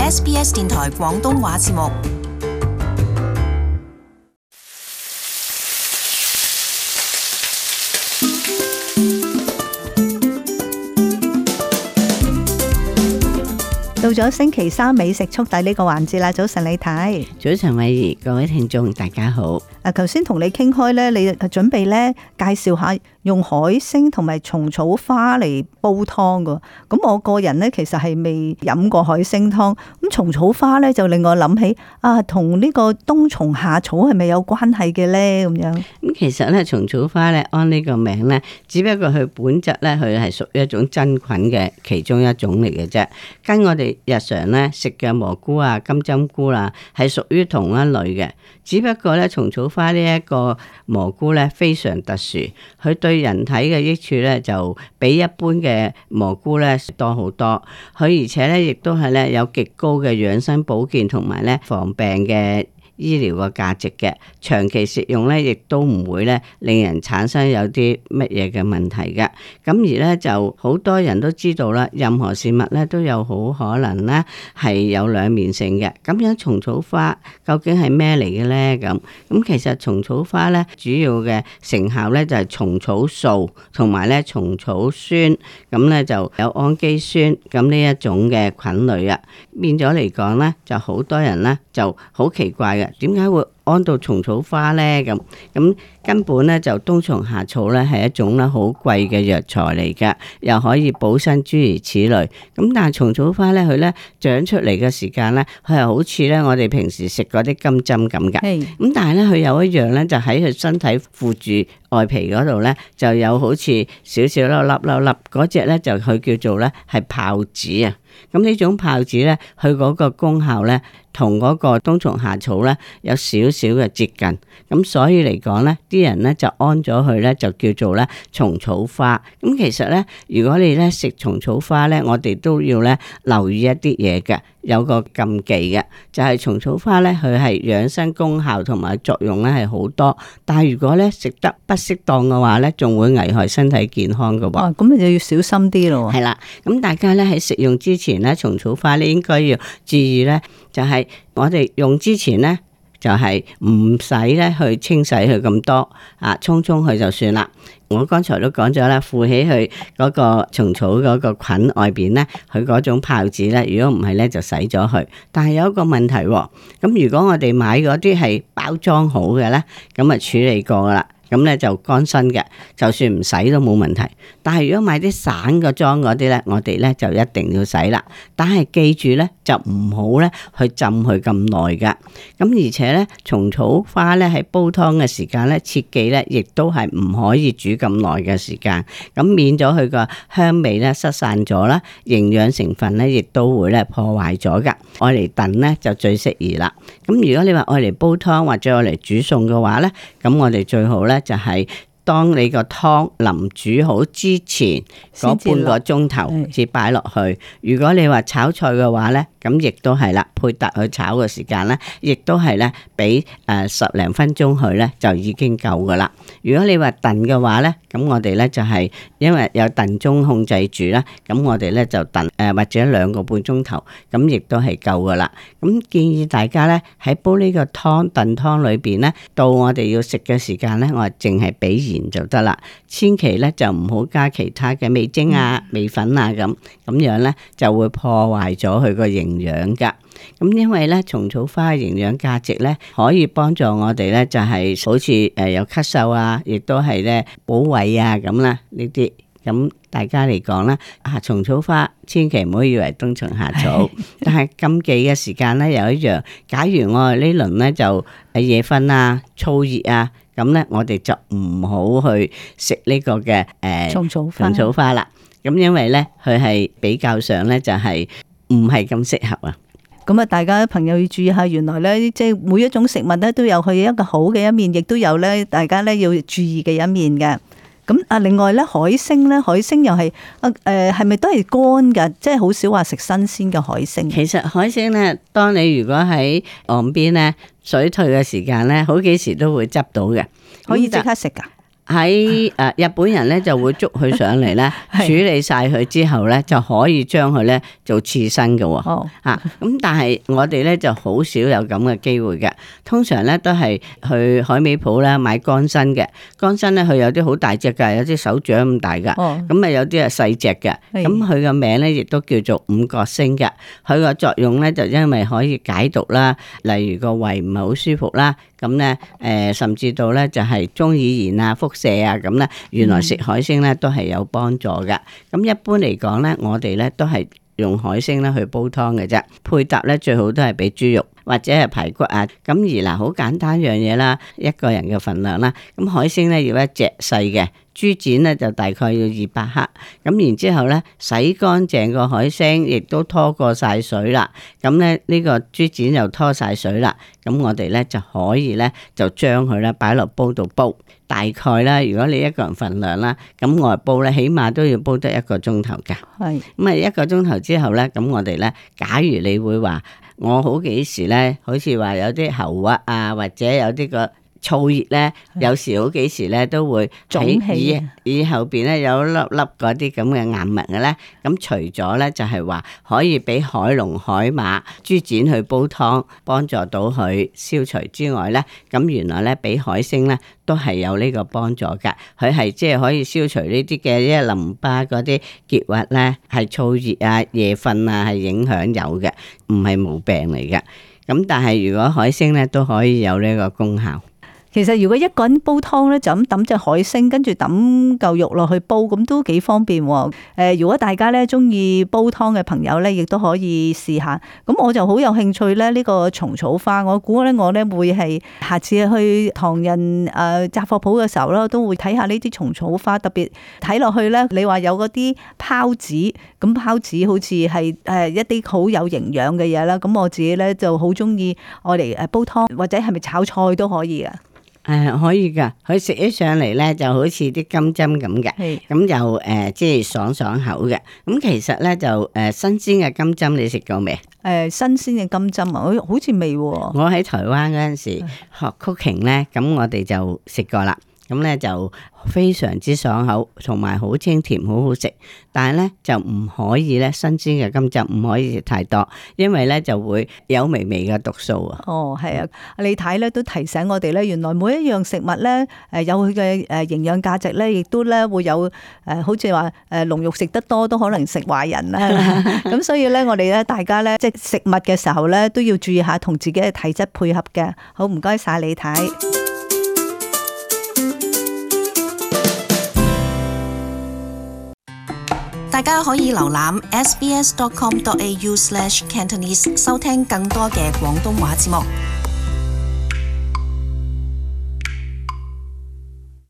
SBS 電台廣東話節目。到咗星期三美食速遞呢個環節啦，早晨李太。早晨偉儀，各位聽眾大家好。頭先同你傾開咧，你準備咧介紹下用海星同埋蟲草花嚟煲湯噶。咁我個人咧其實係未飲過海星湯，咁蟲草花咧就令我諗起同呢個冬蟲夏草係咪有關係嘅咧？咁樣咁其實咧蟲草花咧按呢個名咧，只不過佢本質咧佢係屬於一種真菌嘅其中一種嚟嘅啫。跟我哋日常咧食嘅蘑菇啊、金針菇啦，係屬於同一類嘅。只不過咧蟲草花呢一個蘑菇咧非常特殊，佢對人體嘅益處咧就比一般嘅蘑菇咧多好多。佢而且咧亦都係咧有極高嘅養生保健同埋咧防病嘅醫療嘅價值嘅，長期食用咧，亦都唔會咧令人產生有啲乜嘢嘅問題嘅。咁而咧就好多人都知道啦，任何事物咧都有好可能咧係有兩面性嘅。咁樣蟲草花究竟係咩嚟嘅咧？咁其實蟲草花咧主要嘅成效咧就係蟲草素同埋咧蟲草酸，咁咧就有氨基酸咁呢一種嘅菌類啊。變咗嚟講咧，就好多人咧就好奇怪嘅。點解會安到蟲草花呢？咁根本咧就冬蟲夏草咧係一種咧好貴嘅藥材嚟㗎，又可以補身諸如此類。咁但係蟲草花咧佢咧長出嚟嘅時間咧，佢係好似咧我哋平時食嗰啲金針咁㗎。咁但係咧佢有一樣咧，就喺佢身體附住外皮嗰度咧，就有好似少少粒嗰隻咧，就佢叫做咧係孢子啊。咁呢種孢子咧，佢嗰個功效咧，同嗰個冬蟲夏草咧有少少嘅接近，咁所以嚟講咧，啲人咧就安咗佢咧，就叫做咧蟲草花。咁其實咧，如果你咧食蟲草花咧，我哋都要咧留意一啲嘢嘅，有個禁忌嘅，就係蟲草花咧，佢係養生功效同埋作用咧係好多，但係如果咧食得不適當嘅話咧，仲會危害身體健康嘅喎。咁你就要小心啲咯。係啦，咁大家咧喺食用之前咧，蟲草花咧應該要注意咧，就係我哋用之前咧，就係唔使咧去清洗佢咁多沖佢就算啦。我剛才都講咗啦，附起佢嗰個蟲草嗰個菌外邊咧，佢嗰種孢子咧，如果唔係咧就洗咗佢。但係有一個問題喎，咁如果我哋買嗰啲係包裝好嘅咧，咁啊處理過噶啦。咁咧就乾身嘅，就算唔洗都冇問題。但係如果買啲散個裝嗰啲咧，我哋咧就一定要洗啦。但係記住咧，就唔好咧去浸佢咁耐噶。咁而且咧，蟲草花咧喺煲湯嘅時間咧，切記咧亦都係唔可以煮咁耐嘅時間。咁免咗佢個香味咧失散咗啦，營養成分咧亦都會咧破壞咗噶。愛嚟燉咧就最適宜啦。咁如果你話愛嚟煲湯或者愛嚟煮餸嘅話咧，咁我哋最好咧就係當你個湯臨煮好之前嗰半個鐘頭至擺落去。如果你話炒菜嘅話咧，咁亦都係啦，配搭去炒嘅時間咧，亦都係咧俾10零分鐘佢咧就已經夠噶啦。如果你話燉嘅話咧，咁我哋咧就係因為有燉盅控制住啦，咁我哋咧就燉或者2個半鐘頭，咁亦都係夠噶啦。咁建議大家咧喺煲呢個燉湯裏邊咧，到我哋要食嘅時間咧，我淨係俾鹽就得啦，千祈咧就唔好加其他嘅味精啊、味粉啊咁樣咧就會破壞咗佢個營養噶。咁因為咧蟲草花嘅營養價值咧，可以幫助我哋咧就係好似有咳嗽啊，亦都係咧補胃啊咁啦呢啲。咁大家嚟講啦，蟲草花千祈唔好以為冬蟲夏草，但係禁忌嘅時間咧有一樣，假如我哋呢輪咧就夜瞓啊、燥熱啊，咁咧我哋就唔好去食呢個嘅蟲草花啦。咁因為咧佢係比較上咧就係唔係咁適合啊。咁啊，大家朋友要注意下，原來咧即係每一種食物咧都有佢一個好嘅一面，亦都有咧大家咧要注意嘅一面嘅。咁另外咧海星又係係咪都係乾噶？即係好少話食新鮮嘅海星。其實海星咧，當你如果喺岸邊咧水退嘅時間咧，好幾時都會執到嘅，可以即刻食噶。喺日本人咧就會捉佢上嚟咧，處理晒佢之後咧就可以將佢咧做刺身嘅喎。咁但係我哋咧就好少有咁嘅機會嘅，通常咧都係去海味鋪咧買乾身嘅，乾身咧佢有啲好大隻㗎，有啲手掌咁大㗎，咁啊有啲係細隻嘅，咁佢個名咧亦都叫做五角星嘅，佢個作用咧就因為可以解毒啦，例如個胃唔係好舒服啦。咁咧，甚至到咧就係中耳炎啊、腹瀉啊咁咧，原來食海星咧都係有幫助嘅。咁一般嚟講咧，我哋咧都係用海星咧去煲湯嘅啫，配搭咧最好都係俾豬肉或者係排骨啊。咁而嗱，好簡單樣嘢啦，一個人嘅份量啦。咁海星咧要一隻細嘅。豬展咧就大概要200克，咁然之後咧洗乾淨個海星，亦都拖過晒水啦。咁咧呢個豬展又拖晒水啦，咁我哋咧就可以咧就將佢咧擺落煲度煲。大概啦，如果你一個人份量啦，咁我煲咧起碼都要煲得1個鐘頭㗎。係咁啊，1個鐘頭之後咧，咁我哋咧，假如你會話我好幾時咧，好似話有啲喉核啊，或者有啲個燥熱咧，有時好幾時咧都會喺耳後邊咧有粒粒嗰啲咁嘅硬物嘅咧，咁除咗咧就係話可以俾海龍、海馬、豬展去煲湯，幫助到佢消除之外咧，咁原來咧俾海星咧都係有呢個幫助㗎，佢係即係可以消除呢啲嘅一淋巴嗰啲結核咧，係燥熱啊、夜瞓啊係影響有嘅，唔係冇病嚟嘅。咁但係如果海星咧都可以有呢個功效。其實如果一個人煲湯咧，就咁抌隻海星，跟住抌嚿肉落去煲，咁都幾方便。如果大家咧中意煲湯嘅朋友咧，亦都可以試下。咁我就好有興趣咧，呢個蟲草花，我估咧我咧會係下次去唐人雜貨鋪嘅時候咧，都會睇下呢啲蟲草花。特別睇落去咧，你話有嗰啲孢子，咁孢子好似係一啲好有營養嘅嘢啦。咁我自己咧就好中意愛嚟煲湯，或者係咪炒菜都可以啊。可以噶，佢食起上嚟咧就好似啲金針咁嘅，咁又即係爽爽口嘅。咁其實咧就新鮮嘅金針你食過未？新鮮嘅金針啊，好似未喎。我喺台灣嗰陣時學 cooking 咧，咁我哋就食過啦。咁咧就非常之爽口，同埋好清甜，好好食。但係咧就唔可以咧新鮮嘅金針唔可以食太多，因為咧就會有微微嘅毒素啊。哦，係啊，李太咧都提醒我哋咧，原來每一樣食物咧有佢嘅營養價值咧，亦都咧會有好似話龍肉食得多都可能食壞人啦。咁所以咧我哋咧大家咧即係食物嘅時候咧都要注意下同自己嘅體質配合嘅。好，唔該晒李太。大家可以瀏覽 sbs.com.au/Cantonese 收聽更多嘅廣東話節目。